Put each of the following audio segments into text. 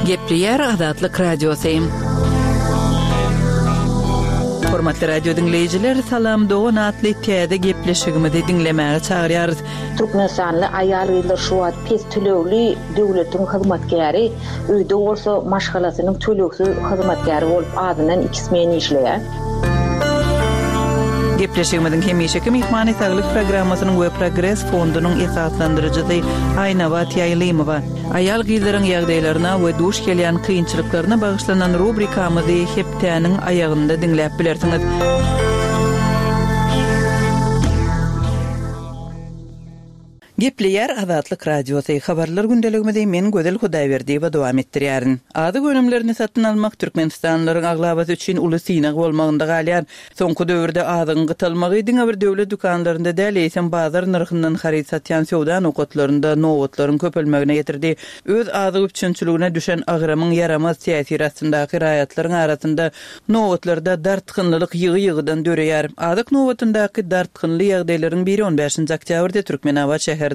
Gepleýär Azatlyk Radiosy. Hormatly radio diňleýjiler, Salam dogan atly täze gepleşigimizi diňlemäge çagyrýarys. Türkmenistanly aýal-gyzlar şu wagt pes tölegli döwletiň hyzmatkäri, öýde bolsa maşgalasynyň tölegsiz hyzmatkäri bolup azyndan iki smen işleýär. Gepleşigimiziň hemişeki myhmany Saglyk programmasynyň we Progres fondunyň esaslandyryjysy Aýnabat Ýaýlymowa. Aýal-gyzlaryň ýagdaýlaryna we duş gelýän kynçylyklaryna bagyşlanan rubrikamyzy hepdäniň aýagynda diňläp bilersiňiz. Gepleýär Azatlyk Radiosy, Habarlar gündeligimizi men Gözel Hudaýberdiýewa dowam etdirýärin. Azyk önümlerini satyn almak türkmenistanlylaryň aglabasy üçin uly synag bolmagynda galýar. Soňky döwürde azygyň gytalmagy diňe bir döwlet dükanlarynda däl, eýsem bazar nyrhyndan haryt satýan söwda nokatlarynda nobatlaryň köpelmegine getirdi. Öz azyk üpjünçiligine düşen agramyň ýaramaz täsiri astyndaky raýatlaryň arasynda nobatlarda dartgynlylyk ýygy-ýygydan döreýär. Azyk nobatyndaky dartgynly ýagdaýlaryň biri on bäşinji oktýabrda Türkmenabat şäheriniň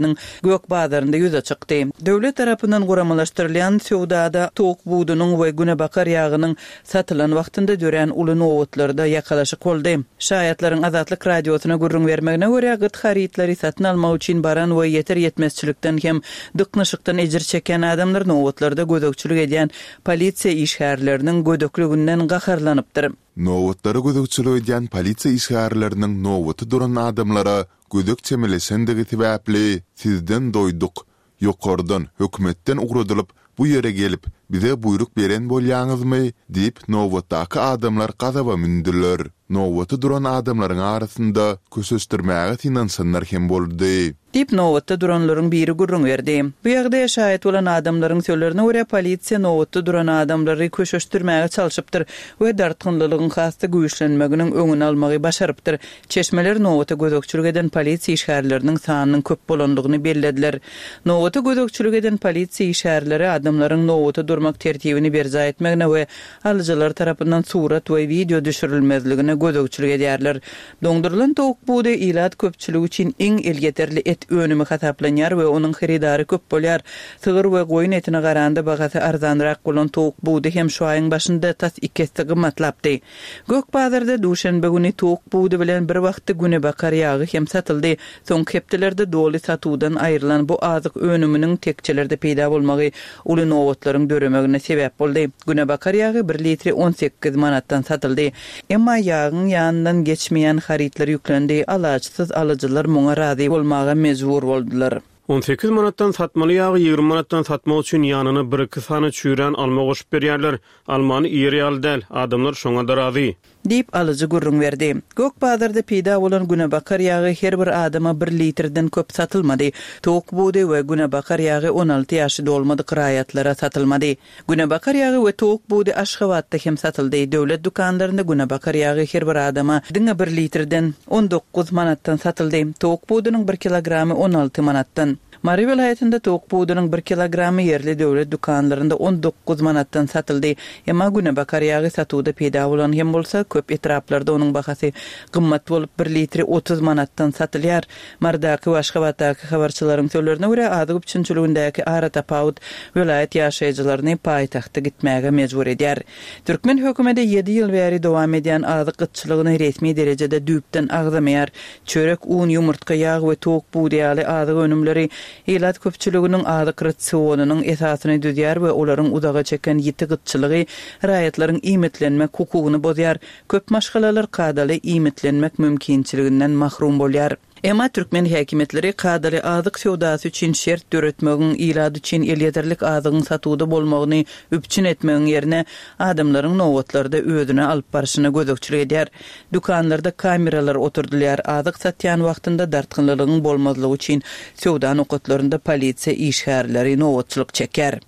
Gök bazarynda ýüze çykdy. Döwlet tarapyndan guramalaşdyrylýan söwdada towuk budunyň we günebakar ýagynyň satylan wagtynda dörän uly nobatlarda ýakalaşyk boldy. Şaýatlaryň Azatlyk Radiosyna gürrüň bermegine görä, gyt harytlary satyn almak üçin baran we ýeter-ýetmezçilikden hem dyknyşykdan ejir çekýän adamlar nobatlarda gözegçilik edýän polisiýa işgärleriniň gödekliginden gaharlanypdyr. Nobatlara gözegçilik edýän polisiýa işgärleriniň nobata duran adamlara gödek çemeleşendigi sebäpli, sizden doýduk, Ýokardan, hökümetden ugradylyp, bu ýere gelip, bize buýruk beren bolýaňyzmy? diýip, nobatdaky adamlar gazaba mündüler. Nobata duran adamlaryň arasynda köşeşdirmäge synanyşanlar hem boldy. Diýip, nobatda duranlaryň biri gürrüň berdi. Bu ýagdaýa şaýat bolan adamlaryň sözlerine görä, polisiýa nobatda duran adamlary köşeşdirmäge çalşypdyr we dartgynlylygyň has-da güýçlenmeginiň öňüni almagy başarypdyr. Çeşmeler nobata gözegçilik eden polisiýa işgärleriniň sanynyň köp bolandygyny bellediler. Nobata gözegçilik eden polisiýa işgärleri adamlaryň nobata durmak tertibini berjaý etmegine we alyjylar tarapyndan surat we wideo düşürilmezligine gözegçilik edýärler. Doňdurylan towuk budy ilat köpçüligi üçin iň elýeterli et önümi hasaplanýar we onuň hyrydary köp bolýar. Sygyr we goýun etine garanda bahasy arzanrak bolan towuk budy hem şu aýyň başynda tas iki esse gymmatlapdy. Gök bazarda duşenbe güni towuk budy bilen bir wagtda günebakar ýagy hem satyldy. Soňky hepdelerde doly satuwdan aýrylan bu azyk önüminiň tekjelerde peýda bolmagy uly nobatlaryň döremegine sebäp boldy. Günebakar ýagy bir litri 18 manatdan satyldy. Emma ýagyň ýanyndan geçmeýän harytlar ýüklendi, alaçsyz alyjylar muňa razy bolmaga mejbur boldular. 18 manatdan satmaly ýagy 20 manatdan satmak üçin ýanyna bir-iki sany çüýrän alma goşup berýärler. Almany iýer ýaly däl, adamlar şoňa-da razy. Diýip, alyjy gürrüň berdi. Gök bazarda peýda bolan günebakar ýagy her bir adama bir litrden köp satylmady. Towuk budy we günebakar ýagy 16 ýaşy dolmadyk raýatlara satylmady. Günebakar ýagy we towuk budy Aşgabatda hem satyldy. Döwlet dükanlarynda günebakar ýagy her bir adama diňe bir litrden, 19 manatdan satyldy. Towuk budunyň bir kilogramy 16 manatdan. Mary welaýatynda towuk budunyň bir kilogramy ýerli döwlet dükanlarynda 19 manatdan satyldy. Emma günebakar ýagy satuwda peýda bolan hem bolsa, köp etraplarda onuň bahasy gymmat bolup, bir litri 30 manatdan satylýar. Marydaky we Aşgabatdaky habarçylaryň sözlerine görä, azyk üpjünçiligindäki aratapawut welaýat ýaşaýjylaryny paýtagta gitmäge mejbur edýär. Türkmen hökümeti ýedi ýyl bäri dowam edýän azyk gytçylygyny resmi derejede düýpden agzamaýar. Çörek, un, ýumurtga, ýag we towuk budy ýaly azyk önümleri ilat köpçüliginiň azyk rasionynyň esasyny düzýär we olaryň uzaga çeken ýiti gytçylygy raýatlaryň iýmitlenmek hukugyny bozýar. Köp maşgalalar kadaly iýmitlenmek mümkinçiliginden mahrum bolýar. Emma türkmen häkimiýetleri kadaly azyk söwdasy üçin şert döretmegiň, ilat üçin elýeterlik azygyň satuwda bolmagyny üpjün etmegiň ýerine, adamlaryň nobatlarda özüni alyp barşyna gözegçilik edýär. Dükanlarda kameralar oturdylýar, azyk satýan wagtynda dartgynlylygyň bolmazlygy üçin söwda nokatlarynda polisiýa işgärleri nobatçylyk çekýär.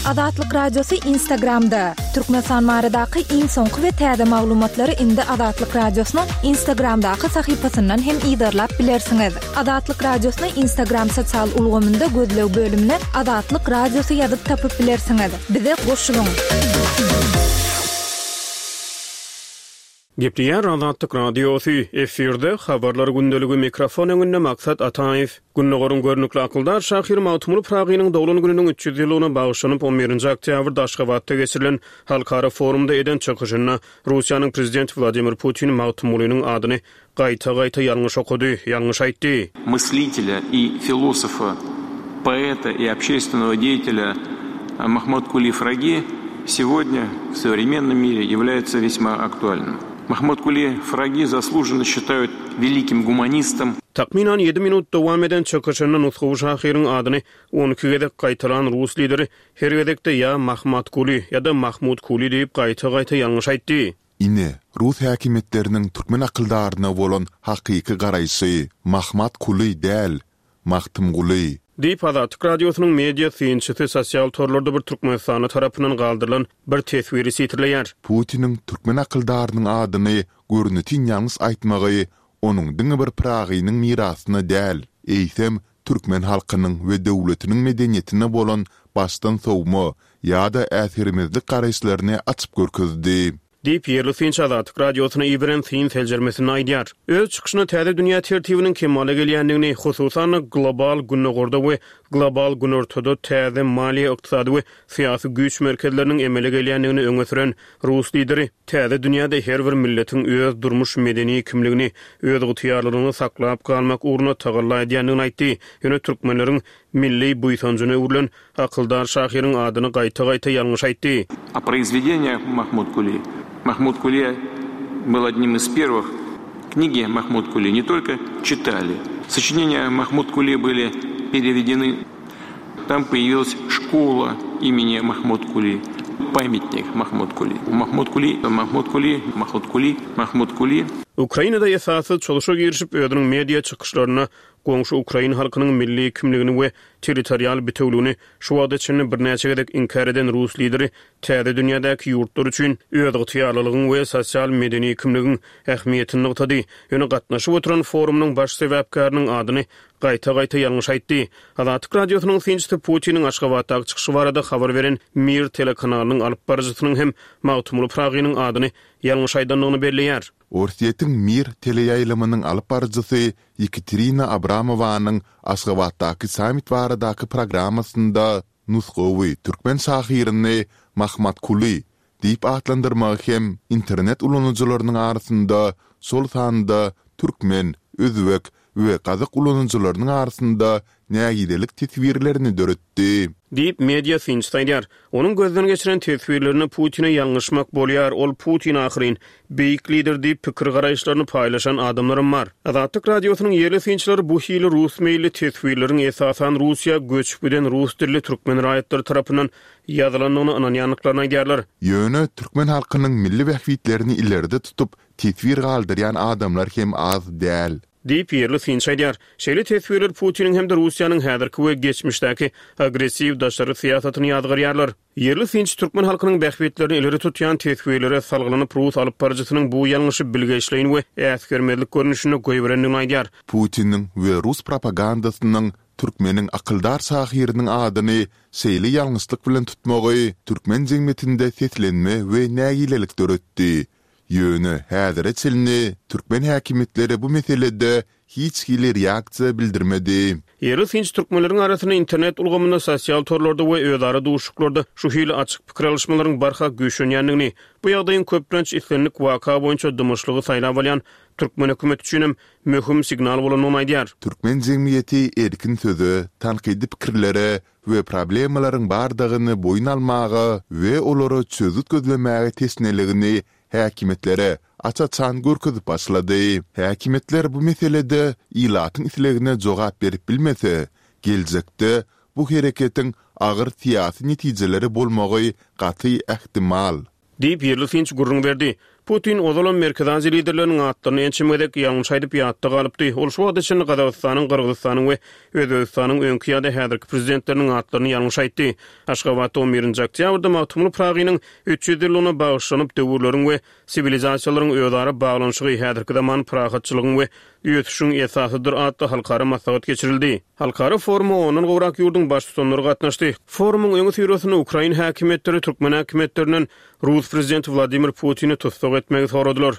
Azatlyk Radiosy Instagramda, Türkmenistan baradaky iň soňky we täze maglumatlary indi Azatlyk Radiosynyň Instagramdaky sahypasyndan hem yzarlap bilersiňiz. Azatlyk Radiosyny Instagram sosial ulgamynda gözleg bölümine Azatlyk Radiosy ýazyp tapyp bilersiňiz. Bize goşulyň! Gepleýär Azatlyk Radiosy, efirde Habarlar gündeligi, mikrofon öňünde Maksat Ataýew. Gündogaryň görnükli akyldar şahyry Magtymguly Pyragynyň doglan gününiň 300 ýyllygyna bagyşlanyp on birinji oktýabrda Aşgabatda geçirilen halkara forumda eden çykyşynda Russiýanyň Prezidenti Wladimir Putin Magtymgulynyň adyny gaýta-gaýta ýalňyş okady, ýalňyş aýtdy. Мысlителя и философа, поэта и общественного деятеля Махмуткули Фраги сегодня в современном мире является весьма актуальным. Махмуткули Фраги заслуженно считают великим гуманистом. Takmynan ýedi minut dowam eden çykyşynda nusgawy şahyryň adyny 12 gezek gaýtalan rus lideri her gezekde ýa Mahmatkuly, ýa-da Mahmutkuli diýip gaýta-gaýta ýalňyş aýtdy. Ine, rus häkimiýetleriniň türkmen akyldaryna bolan hakyky garaýşy, Mahmat Kuly däl, Magtymguly. Diýip, Azatlyk Radiosynyň media synçysy sosial torlarda bir türkmenistanly tarapyndan galdyrylan bir teswiri sitirleýär. Putiniň türkmen akyldarynyň adyny görnetin ýalňyş aýtmagy onuň diňe bir Pyragynyň mirasyna däl, eýsem, türkmen halkynyň we döwletiniň medeniýetine bolan başdan sowma ýa-da äsgermezlik garaýyşlaryny açyp görkezdi. Diýip, ýerli synçy Azatlyk Radiosyna iberen syn seljermesinde aýdýar. Öz çykyşynda täze dünýä tertibiniň kemala gelýändigini, hususan-da, global Gündogarda we global Günortada täze maliýe-ykdysady we syýasy güýç merkezleriniň emele gelýändigini öňe süren rus lideri täze dünýäde her bir milletiň öz durmuş-medeni kimligini, özygtyýarlylygyny saklap galmak ugrunda tagalla edýändigini aýtdy. Ýöne türkmenleriň milli buýsanjyna öwrülen akyldar şahyryň adyny gaýta-gaýta ýalňyş aýtdy. O произведениях Mahmud Kuli. Mahmud Kuli был одним из первых Книги Mahmud Kuli не только читали. Сочинения Mahmud Kuli были переведены. Там появилась школа имени Mahmud Kuli, памятник Mahmud Kuli. Mahmud Kuli, Mahmud Kuli, Mahmud Kuli, Mahmud Kuli. Ukrainada esassyz çozuşa girişip, özüniň media çykyşlarynda goňşy ukrain halkynyň milli kimligini we territorial bitewligini şu wagta çenli birnäçe gezek inkär eden rus lideri täze dünýädäki ýurtlar üçin özygtyýarlylygyň we sosial-medeni kimligiň ähmiýetini nygtady. Ýöne gatnaşyp oturan forumynyň baş sebäpkäriniň adyny gaýta-gaýta ýalňyş aýtdy. Azatlyk Radiosynyň synçysy Putiniň Aşgabatdaky çykyşy barada habar beren Mir telekanalynyň alyp baryjysynyň hem Magtymguly Pyragynyň adyny ýalňyş aýdandygyny belleýär. Orsýetiň Mir teleýaýlymynyň alyp baryjysy Ýekaterina Abramowanyň Aşgabatdaky sammit baradaky programmasynda nusgawy türkmen şahyryny Mahmatkuly diýip atlandyrmagy hem internet ulanyjylarynyň arasynda, şol sanda türkmen, özbek we gazak ulanyjylarynyň arasynda nägilelik teswirlerini döretdi. Diýip, media synçysy aýdýar. Onuň gözden geçiren teswirlerinde Putine ýalňyşmak bolýar, ol Putin ahyryn, beýik lider diýip pikir-garaýyşlaryny paýlaşan adamlaram bar. Azatlyk Radiosynyň ýerli synçylary bu hili rus meýilli teswirleriň esasan Russiýa göçüp giden rus dilli türkmen raýatlary tarapyndan ýazylandygyna ynanýandyklaryny aýdýarlar. Ýöne türkmen halkynyň milli bähbitlerini ileride tutup teswir galdyrýan adamlar hem az däl. Diýip, ýerli synçy aýdýar. Şeýle teswirler Putiniň hem-de Russiýanyň häzirki we geçmişdäki agressiw daşary syýasatyny ýazgarýarlar. Ýerli synçy türkmen halkynyň bähbitlerini ileri tutýan teswirlere salgylanyp, rus alypbaryjysynyň bu ýalňyşy bilgeşleýin we äsgermezlik görnüşinde goýberendigini aýdýar. Putiniň we rus propagandasynyň türkmeniň akyldar şahyrynyň adyny şeýle ýalňyşlyk bilen tutmagy türkmen jemgyýetinde seslenme we nägilelik döretdi. Ýöne häzire çenli türkmen häkimiýetleri bu meselede hiç hili reaksiýa bildirmedi. Ýerli synçy türkmenleriň arasynda internet ulgamynda, sosial torlarda we özara duşuşyklarda şu hili açyk pikir alyşmalaryň barha güýçlenýändigini, bu ýagdaýyň köplenç islendik waka boýunça dymyşlygy saýlap alýan türkmen hökümeti üçinem möhüm signal bolandygyny aýdýar. Türkmen jemgyýeti erkin söze, tankydy pikirlere we problemalaryň bardygyny boýun almaga we olara çözgüt gözlemäge teşneligini häkimiýetlere aç-açan görkezip başlady. Häkimiýetler bu meselede ilatyň islegine jogap berip bilmese, geljekde bu hereketiň agyr syýasy netijeleri bolmagy gaty ähtimal. Diýip, ýerli synçy gürrüň berdi. Putin ozalam Merkezi Aziýa liderleriniň atlaryny ençeme gezek ýalňyş aýdyp ýatda galypdy. Ol şu wagta çenli Gazagystanyň, Gyrgyzystanyň we Özbegistanyň öňki ýa-da häzirki prezidentleriniň atlaryny ýalňyş aýtdy. Aşgabatda on birinji oktýabrda Magtymguly Pyragynyň 300 ýyllygyna bagyşlanyp Döwürleriň we siwilizasiýalaryň özara baglanyşygy häzirki zaman parahatçylygyň we ösüşiň esasydyr atly halkara maslahat geçirildi. Halkara foruma ondan gowrak ýurduň baştutanlary gatnaşdy. Forumyň öňüsyrasynda ukrain häkimiýetleri türkmen häkimiýetlerinden rus prezidenti Wladimir Putini tussag etmegi soradylar.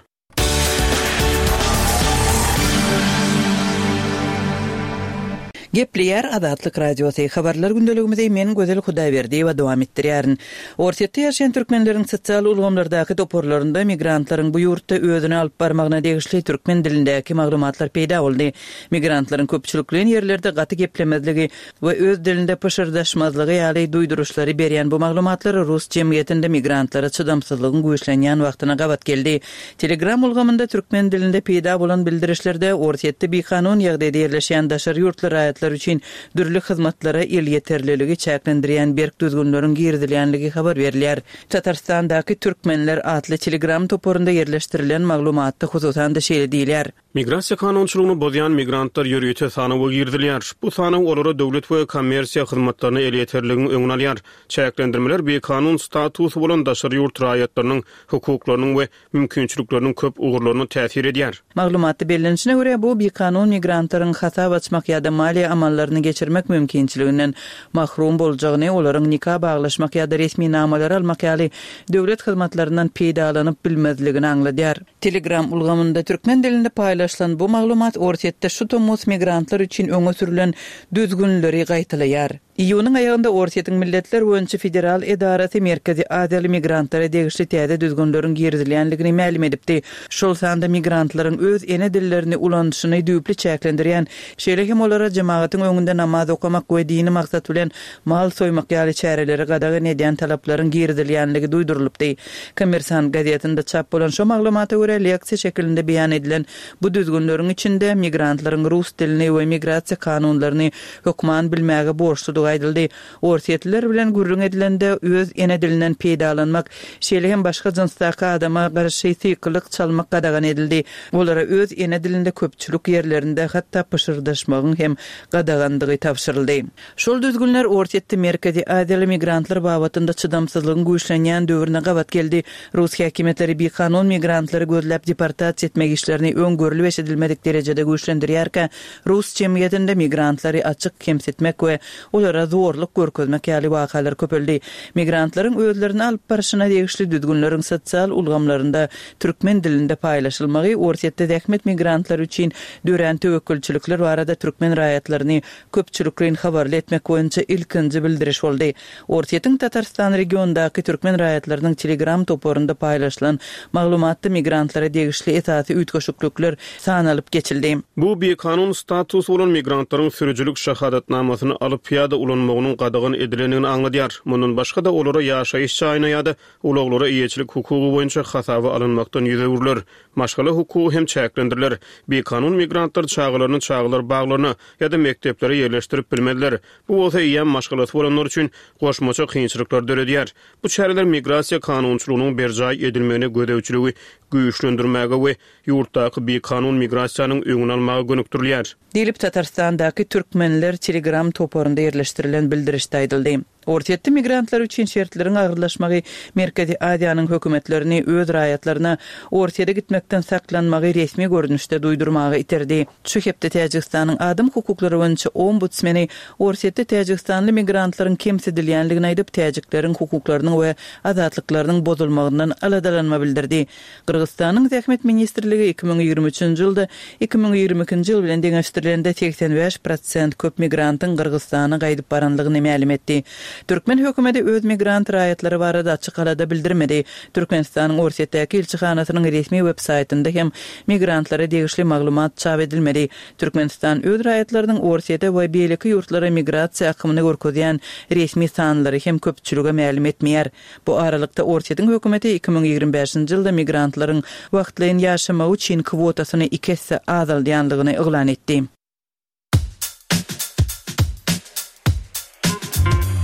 Gepleýär Azatlyk Radiosy, Habarlar gündeligimizi men Gözel Hudaýberdiýewa dowam etdirýärin. Orsýetde ýaşaýan türkmenleriň sosial ulgamlardaky toparlarynda migrantlaryň bu ýurtda özüni alyp barmagyna degişli türkmen dilindäki maglumatlar peýda boldy. Migrantlaryň köpçülikleýin ýerlerde gaty geplemezligi we öz dilinde pyşyrdaşmazlygy ýaly duýduryşlary berýän bu maglumatlar rus jemgyýetinde migrantlara çydamsyzlygyň güýçlenýän wagtyna gabat geldi. Telegram ulgamynda türkmen dilinde peýda bolan bildirişlerde Orsýetde bikanun ýagdaýda ýerleşýän daşary ýurtly raýatlar üçin dürli hyzmatlara elýeterliligi çäklendirýän berk düzgünleriň girizilýänligi habar berilýär. Tatarystandaky Türkmenler atly Telegram toparynda ýerleşdirilen maglumatda hususan-da şeýle diýilýär. Migrasiýa kanunçylygyny bozýan migrantlar ýörite sanawa girizilýär. Bu sanaw olara döwlet we kommersiýa hyzmatlaryna elýeterligiň öňüni alýar. Çäklendirmeler bikanun statusy bolan daşary ýurt raýatlarynyň hukuklarynyň we mümkinçilikleriniň köp ugurlaryna täsir edýär. Maglumatda bellenişine görä, bu bikanun migrantlaryň hasap açmak ýa-da maliýe amallaryny geçirmek mümkinçiliginden mahrum boljagyny, olaryň nika baglaşmak ýa-da resminamalary almak ýaly döwlet hyzmatlaryndan peýdalanyp bilmezligini aňladýar. Telegram ulgamynda türkmen dilinde paýlaşylan bu maglumat Orsýetde şu tomus migrantlar üçin öňe sürlen düzgünleri gaýtalaýar. Iýunyň aýagynda Orsýetiň Milletler boýunça federal edarasy Merkezi Aziýaly migrantlara degişli täze düzgünleriň girizilýändigini mälim edipdi. Şol sanda migrantlaryň öz ene dillerini ulanyşyny düýpli çäklendirýän, şeýle hem olara jemagatyň öňünde namaz okamak we dini maksat bilen mal soýmak ýaly çäreleri gadagan edýän talaplaryň girizilýänligi duýdurylypdy. Kommersant gazetinde çap bolan şo maglumata görä, leksiýa şekilinde beýan edilen bu düzgünleriň içinde migrantlaryň rus dilini we migrasiýa kanunlaryny hökman bilmäge borçludygy aýdyldy. Orsýetliler bilen gürrüň edilende öz ene dilinden peýdalanmak, şeýle hem başga jynsdaky adama garşy sykylyk çalmak gadagan edildi. Olara öz ene dilinde köpçülik ýerlerinde hatda pyşyrdaşmagyň hem gadagandygy tabşyryldy. Şol düzgünler Orsýetde Merkezi Aziýaly migrantlar babatynda çydamsyzlygyň güýçlenýän döwrüne gabat geldi. Rus häkimiýetleri bikanun migrantlary gözläp deportasiýa etmek işlerini öň görlüp-eşidilmedik derejede güýçlendirýärkä, rus jemgyýetinde migrantlary açyk kemsitmek we olara zorluk görkezmek ýaly wakalar köpeldi. Migrantlaryň özlerini alyp barşyna degişli düzgünleriň sosial ulgamlarynda türkmen dilinde paýlaşylmagy Orsýetde zähmet migrantlary üçin dörän töwekgelçilikler barada türkmen raýatlaryny köpçülikleýin habarly etmek boýunça ilkinji bildiriş boldy. Orsýetiň Tatarystan regionyndaky türkmen raýatlarynyň Telegram toparynda paýlaşylan maglumatda migrantlara degişli esasy üýtgeşiklikler sanalyp geçildi. Bu bikanun statusy bolan migrantlaryň sürüjilik şahadatnamasyny alyp ýa-da ulanmagynyň gadagan edilendigini aňladýar. Mundan başga-da, olara ýaşaýyş jaýyna ýa-da ulaglara eýeçilik hukugy boýunça hasaba alynmakdan ýüz öwrüler. Maşgala hukugy hem çäklendiriler. Bikanun migrantlar çagalaryny çagalar baglaryna ýa-da mekdeplere ýerleşdirip bilmezler. Bu bolsa eýýäm maşgalasy bolanlar üçin goşmaça kynçylyklary döredýär. Bu çäreler migrasiýa kanunçylygynyň berjaý edilmegine gözegçiligi güýçlendirmäge we ýurtdaky bikanun migrasiýanyň öňüni almaga gönükdirilýär. Diýlip, Tatarystandaky Türkmenler Telegram toparynda ýerleşdirilen bildirişde aýdyldy. Orsýetde migrantlar üçin şertleriň agyrlaşmagy Merkezi Aziýanyň hökümetlerini öz raýatlaryna Orsýede gitmekden saklanmagy resmi görnüşde duýdurmaga iterdi. Şu hepde Täjigistanyň adam hukuklary boýunça ombudsmeni Orsýetde täjigistanly migrantlaryň kemsidilýänligini aýdyp, täjikleriň hukuklarynyň we azatlyklarynyň bozulmagyndan aladalanma bildirdi. Gyrgyzystanyň Zähmet ministrligi 2023-nji ýylda 2022-nji ýyl bilen deňeşdirilende 85 prosent köp migrantyň Gyrgyzystana gaýdyp baranlygyny mälim etdi. Türkmen hökümeti öz migrant raýatlary barada açyk alada bildirmedi. Türkmenistanyň Orsýetdäki ilçihanasynyň resmi web saýtynda hem migrantlara degişli maglumat çap edilmedi. Türkmenistan öz raýatlarynyň Orsýete we beýleki ýurtlara migrasiýa akymyny görkezýän resmi sanlary hem köpçülige mälim etmeýär. Bu aralykda, Orsýetiň hökümeti 2025-nji ýylda migrantlaryň wagtlaýyn ýaşamagy üçin kwotasyny iki esse azaldýandygyny yglan etdi.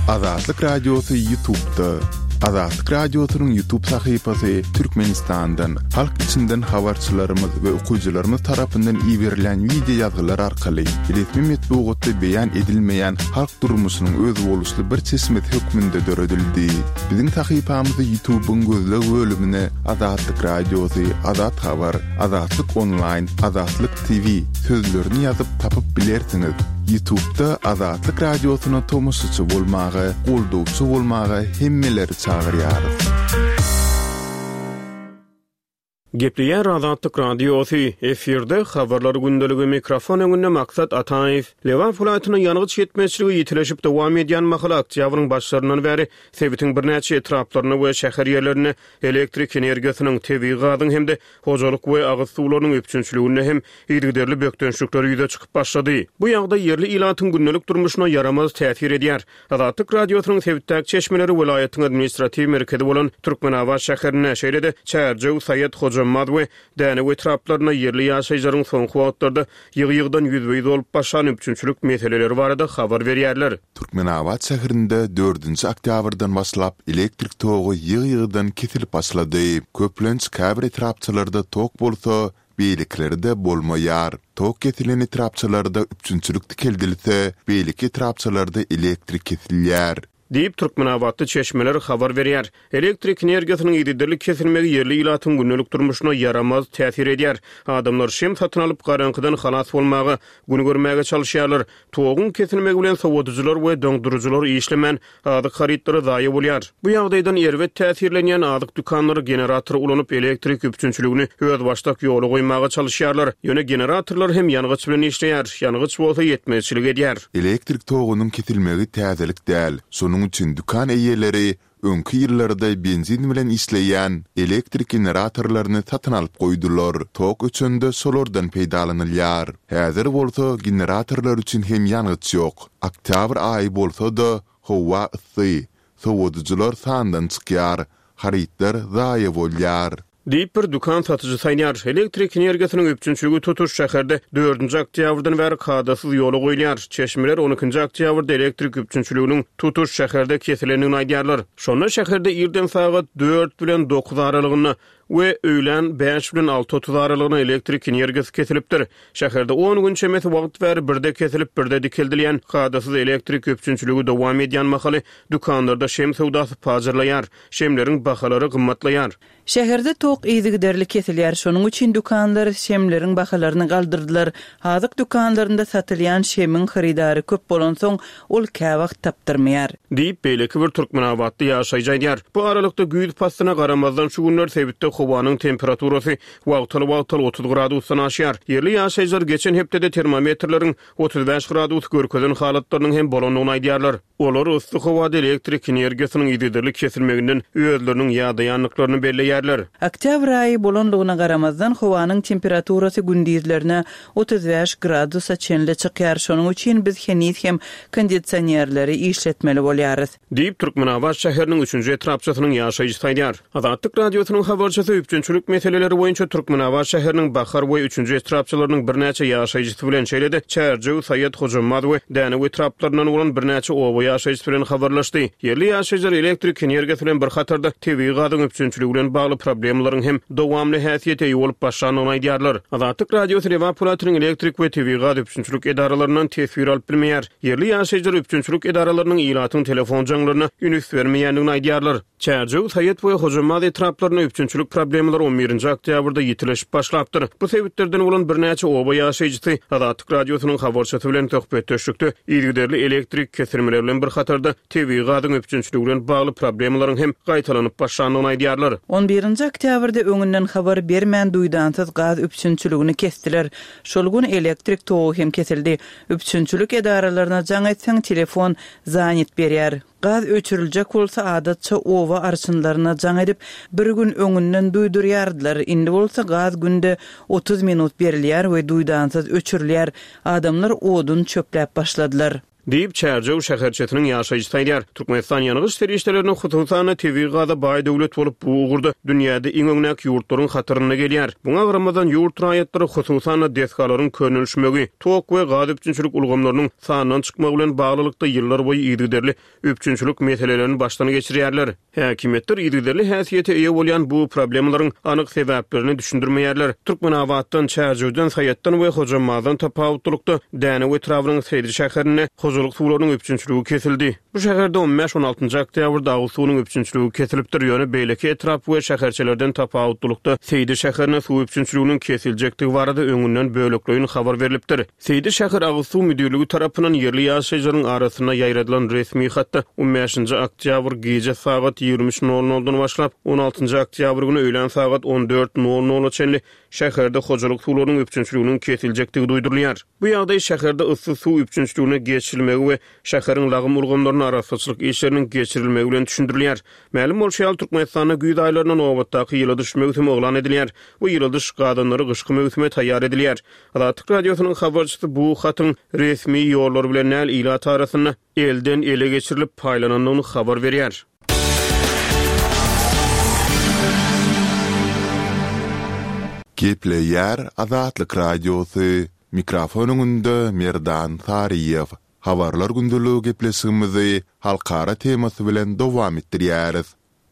Azatlyk Radiosy Ýutubda. Azatlyk Radiosynyň Ýutub sahypasy Türkmenistandan, halk içinden habarçylarymyz we okyjylarymyz tarapyndan iberilen wideo ýazgylar arkaly resmi metbugatda beýan edilmeýän halk durmuşynyň özboluşly bir çeşmesi hökmünde döredildi. Biziň sahypamyzy Ýutubyň gözleg bölümine Azatlyk Radiosy, Azat Habar, Azatlyk Onlaýn, Azatlyk TV sözlerini ýazyp tapyp bilersiňiz. Ýutubda Azatlyk Radiosyna tomaşaçy bolmaga, goldawçy bolmaga hemmeleri çagyrýarys. Gepleýär Azatlyk Radiosy, efirde Habarlar gündeligi, mikrofon öňünde Maksat Ataýew. Lebap welaýatynda ýangyç ýetmezçiligi ýitileşip dowam edýän mahaly oktýabryň başlaryndan bäri sebitiň birnäçe etraplarynda we şäher ýerlerinde elektrik energiýasynyň, tebigy gazyň hem-de hojalyk we agyz suwlarynyň üpjünçiliginde hem yzygiderli bökdençlikler ýüze çykyp başlady. Bu ýagdaý ýerli ilatyň gündelik durmuşyna ýaramaz täsir edýär. Azatlyk Radiosynyň sebitdäki çeşmeleri welaýatyň administratiw merkezi bolan Türkmenabat şäherinde, şeýle-de Çärjew, Saýat, Hojambaz we Dänew etraplarynda ýerli ýaşaýjylaryň soňky wagtlarda ýygy-ýygydan ýüzbe-ýüz bolup başlan üpjünçilik meseleleri barada habar berýärler. Türkmenabat şäherinde dördünji oktýabrdan başlap elektrik togy ýygy-ýygydan kesilip başlady. Köplenç käbir etrapçalarda tok bolsa, beýlekilerde bolmaýar. Tok kesilen etrapçalarda üpjünçilik dikeldilse, beýleki etrapçalarda elektrik kesilýär. Diýip, türkmenabatly çeşmeler habar berýär. Elektrik energiýasynyň yzygiderli kesilmegi ýerli ilatyň gündelik durmuşyna ýaramaz täsir edýär. Adamlar şem satyn alyp, garaňkydan halas bolmaga, gün görmäge çalyşýarlar. Toguň kesilmegi bilen sowadyjylar we doňduryjylar işlemän, azyk harytlary zaýa bolýar. Bu ýagdaýdan erbet täsirlenýän azyk dükanlary generator ulanyp, elektrik üpjünçiligini özbaşdak ýola goýmaga çalyşýarlar. Ýöne generatorlar hem ýangyç bilen işleýär, ýangyç bolsa ýetmezçilik edýär. Elektrik togunyň kesilmegi täzelik däl. Şonuň üçin dükan eýeleri Öňki ýyllarda benzin bilen işleýän elektrik generatorlaryny satyn alyp goýdular. Tok öçende şolardan peýdalanylýar. Häzir bolsa generatorlar üçin hem ýangyç ýok. Oktýabr aýy bolsa-da, howa yssy. Sowadyjylar sandan çykýar. Harytlar zaýa bolýar. Diýip, bir dükan satyjysy aýdýar. Elektrik energiýasynyň üpjünçiligi tutuş şäherde dördünji oktýabrdan bäri kadasyz ýola goýulýar. Çeşmeler on ikinji oktýabrda elektrik üpjünçiliginiň tutuş şäherde kesilendigini aýdýarlar. Şonda şäherde irden sagat dört bilen dokuz aralygynda we öýlän bäş bilen 6:30 aralygynda elektrik energiýasy kesilipdir. Şäherde on gün çemesi wagt bäri birde kesilip, birde dikeldilýän kadasyz elektrik üpjünçiligi dowam edýän mahaly dükanlarda şem söwdasy pajarlaýar, şemleriň bahalary gymmatlaýar. Şäherde tok yzygiderli kesilýär, şonuň üçin dükanlar şemleriň bahalaryny galdyrdylar. Azyk dükanlarynda satylýan şemiň hyrydary köp bolansoň, ol käwagt tapdyrmaýar. Diýip, beýleki bir türkmenabatly ýaşaýjy aýdýar. Bu aralykda, güýz paslyna garamazdan, şu günler sebitde howanyň temperaturasy wagtal-wagtal 30 gradusdan aşýar. Ýerli ýaşaýjylar geçen hepdede termometrleriň 35 gradus görkezen halatlarynyň hem bolandygyny aýdýarlar. Olar yssy howada elektrik energiýasynyň yzygiderli kesilmeginden özleriniň ýadaýandyklaryny belleýärler. Oktýabr aýy bolandygyna garamazdan, howanyň temperaturasy gündizlerine 35 gradusa çenli çykýar, şonuň üçin biz heniz hem kondisionerleri işletmeli bolýarys. Diýip, Türkmenabat şäheriniň üçünji etrapçasynyň ýaşaýjysy aýdýar. Azatlyk Radiosynyň habarçysy üpjünçilik meseleleri boýunça Türkmenabat şäheriniň Bahar we Üçünji etrapçalarynyň birnäçe ýaşaýjysy bilen, şeýle-de Çärjew, Saýat, Hojambaz we Dänew etraplaryndan bolan birnäçe oba ýaşaýjysy bilen habarlaşdy. Ýerli ýaşaýjylar elektrik energiýasy bilen bir hatarda tebigy gazyň üpjünçiligi bilen bagly problemalaryň hem dowamly häsiýete eýe bolup başlandygyny aýdýarlar. Azatlyk Radiosy Lebap welaýatynyň elektrik we tebigy gaz üpjünçilik edaralaryndan teswir alyp bilmeýär. Ýerli ýaşaýjylar üpjünçilik edaralarynyň ilatyň telefon jaňlaryna üns bermeýändigini aýdýarlar. Çärjew, Saýat we Hojambaz etraplarynda üpjünçilik problemalary on birinji oktýabrda ýitileşip başlapdyr. Bu sebitlerden bolan birnäçe oba ýaşaýjysy Azatlyk Radiosynyň habarçysy bilen söhbetdeşlikde yzygiderli elektrik kesilmeleri bilen bir hatarda tebigy gazyň üpjünçiligi bilen bagly problemalaryň hem gaýtalanyp başlandygyny aýdýarlar. On birinji oktýabrda öňünden habar bermän duýdansyz gaz üpjünçiligini kesdiler. Şol gün elektrik togy hem kesildi. Üpjünçilik edaralaryna jaň etseň telefon zanit berýär. Gaz öçüriljek bolsa adatça oba arçynlaryna jaň edip, bir gün öňünden duýdurýardylar, indi bolsa gaz günde 30 minut berilýär we duýdansyz öçürilýär. Adamlar odun çöpläp başladylar. Diýip, Çärjew şäherçesiniň ýaşaýjysy aýdýar. Türkmenistan ýangyç serişdelerine, hususan-da, tebigy gaza baý döwlet bolup, bu ugurda dünýäde iň öňdäki ýurtlaryň hatarynda gelýär. Muňa garamazdan, ýurt raýatlary, hususan-da, desgalaryň könelişmegi, tok we gaz üpjünçilik ulgamlarynyň sandan çykmagy bilen baglylykda ýyllarboýy yzygiderli üpjünçilik meselelerini başdan geçirýärler. Häkimiýetler yzygiderli häsiýete eýe bolýan bu problemalaryň anyk sebäplerini düşündirmeýärler. Türkmenabatdan, Çärjewden, Saýatdan we Hojambazdan tapawutlylykda, Dänew etrabynyň Seýdi şäherinde. hojalyk suwlarynyň üpjünçiligi kesildi. Bu şäherde on bäş-on altynjy oktýabrda agyz suwunyň üpjünçiligi kesilipdir, ýöne beýleki etrap we şäherçelerden tapawutlylykda Seýdi şäherine suw üpjünçiliginiň kesiljekdigi barada öňünden bölekleýin habar berlipdir. Seýdi şäher agyz suw müdirligi tarapyndan ýerli ýaşaýjylaryň arasynda ýaýradylan resmi hatda on bäşinji oktýabr gije sagat 23 nol noldan başlap, on altynjy oktýabr güni öýlän sagat on dört nol nola çenli şäherde hojalyk suwlarynyň üpjünçiliginiň kesiljekdigi duýdurylýar. Bu ýagdaý şäherde yssy suw üpjünçiligine geçirilmegi we şäheriň lagym ulgamlarynda arassaçylyk işleriniň geçirilmegi bilen düşündirilýär. Mälim bolşy ýaly, Türkmenistanda güýz aýlarynda nobatdaky ýyladyş möwsümi yglan edilýär we ýyladyş gazanlary gyşky möwsüme taýýar edilýär. Azatlyk Radiosynyň habarçysy bu hatyň resmi ýollar bilen däl, ilat arasynda elden-ele geçirilip paýlanandygyny habar berýär. Gepleýär Azatlyk Radiosy, Mikrofon öňünde Merdan Saryýew. Habarlar gündeligi gepleşigimizi halkara temasy bilen dowam etdirýäris.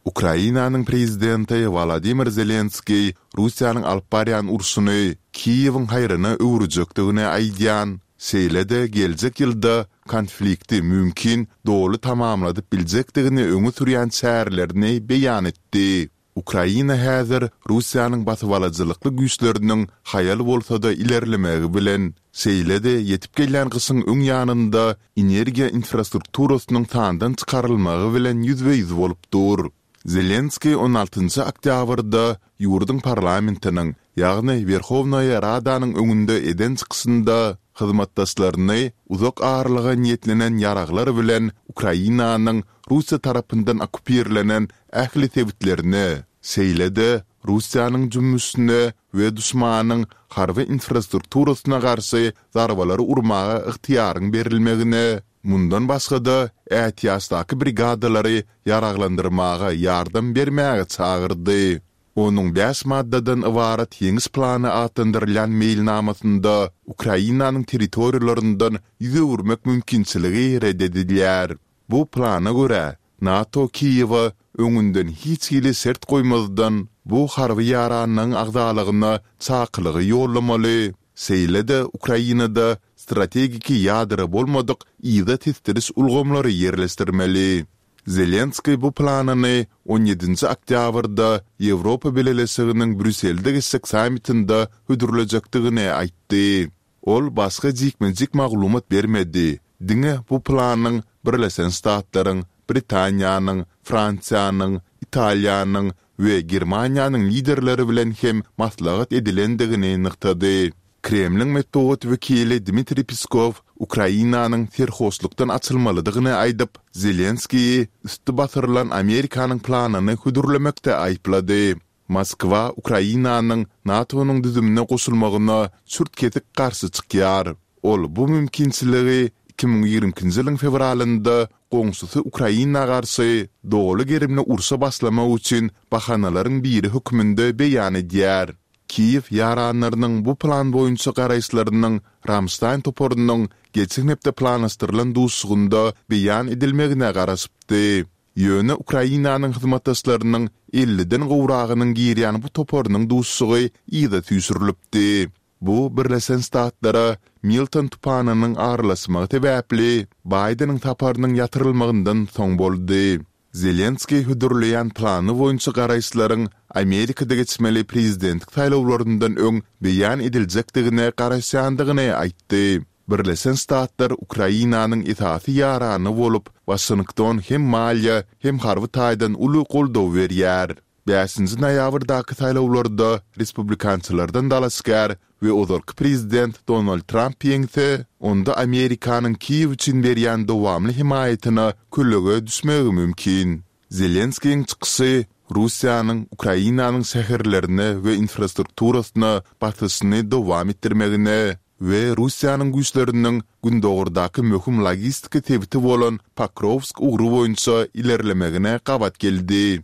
Ukrainanyň prezidenti Wolodymyr Zelenskiý Russiýanyň alyp barýan urşuny Kiýewiň haýryna öwürjekdigini aýdýan, şeýle-de geljek ýylda konflikti mümkin doly tamamladyp biljekdigini öňe sürýän çärelerini beýan etdi. Ukraina häzir Russiýanyň basybalyjylykly güýçleriniň haýal bolsa-da ilerlemegi bilen, şeýle-de ýetip gelýän gyşyň öň ýanynda energiýa infrastrukturasynyň sandan çykarylmagy bilen ýüzbe-ýüz bolup dur. Zelenskiý on altynjy oktýabrda ýurduň parlamentiniň, ýagny Werhownaýa Radanyň öňünde eden çykyşynda hyzmatdaşlaryny uzak aralyga niýetlenen ýaraglar bilen Ukrainanyň Russiýa tarapyndan okkupirlenen ähli sebitlerine, şeýle-de Russiýanyň jümmüşine we duşmanyň harby infrastrukturasyna garşy zarbalary urmaga ygtyýaryň berilmegine, mundan başga-da, ätiýaçdaky brigadalary ýaraglandyrmaga ýardam bermäge çagyrdy. Onuň bäş maddadan ybarat Ýeňiş plany atlandyrylýan meýilnamasynda Ukrainanyň territoriýalaryndan ýüz öwürmek mümkinçiligi ret edilýär. Bu plana görä, NATO Kiýewe öňünden hiç hili şert goýmazdan bu harby ýaranlygyň agzalygyna çakylygy ýollamaly, şeýle-de Ukrainada strategiki ýadro bolmadyk yza tesdiriş ulgamlary ýerleşdirmeli. Zelenskiý bu planyny on ýedinji oktýabrda Ýewropa Bileleşiginiň Brýusselde geçjek sammitinde hödürlejekdigini aýtdy. Ol başga jikme-jik maglumat bermedi, diňe bu planyň Birleşen Ştatlaryň, Britaniýanyň, Fransiýanyň, Italiýanyň we Germaniýanyň liderleri bilen hem maslahat edilendigini nygtady. Kremliň metbugat wekili Dmitriý Peskow Ukrainanyň serhoşlukdan açylmalydygyny aýdyp, Zelenskiýi üsti basyrylan Amerikanyň planyny hödürlemekde aýyplady. Moskwa Ukrainanyň NATO-nyň düzümine goşulmagyna çürt-kesik garşy çykýar. Ol bu mümkinçiligi 2022-nji ýylyň fewralynda goňşusy Ukraina garşy doly gerimli urşa başlamak üçin bahanalaryň biri hökmünde beýan edýär. Kiýew ýaranlarynyň bu plan boýunça garaýyşlarynyň Ramştaýn toparynyň geçen hepde planlaşdyrylan duşuşygynda beýan edilmegine garaşypdy. Ýöne Ukrainanyň hyzmatdaşlarynyň elliden gowragynyň girýän bu toparynyň duşuşygy yza süýşürilipdi. Bu Birleşen Ştatlara Milton tupanynyň aralaşmagy sebäpli Baýdeniň saparynyň ýatyrylmagyndan soň boldy. Zelenskiý hödürleýän plany boýunça garaýyşlaryň Amerikada geçmeli prezidentlik saýlawlaryndan öň beýan ediljekdigine garaşýandygyny aýtdy. Birleşen Ştatlar Ukrainanyň esasy ýarany bolup, Waşington hem maliýe, hem harby taýdan uly goldaw berýär. Bäşinji noýabrdaky saýlawlarda respublikançylardan dalaşgär we ozalky prezident Donald Tramp ýeňse, onda Amerikanyň Kiýew üçin berýän dowamly hemaýatyna kölege düşmegi mümkin. Zelenskiýiň çykyşy Russiýanyň Ukrainanyň şäherlerine we infrastrukturasyna basyşyny dowam etdirmegine we Russiýanyň güýçleriniň gündogardaky möhüm logistika sebiti bolan Pokrowsk ugry boýunça ilerlemegine gabat geldi.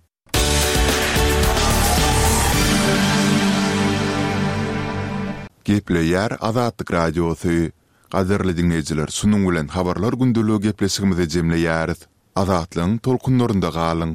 Gepleýär Azatlyk Radiosy. Gadyrly diňleýjiler, şunuň bilen Habarlar gündeligi gepleşigimizi jemleýäris. Azatlygyň tolkunlarynda galyň!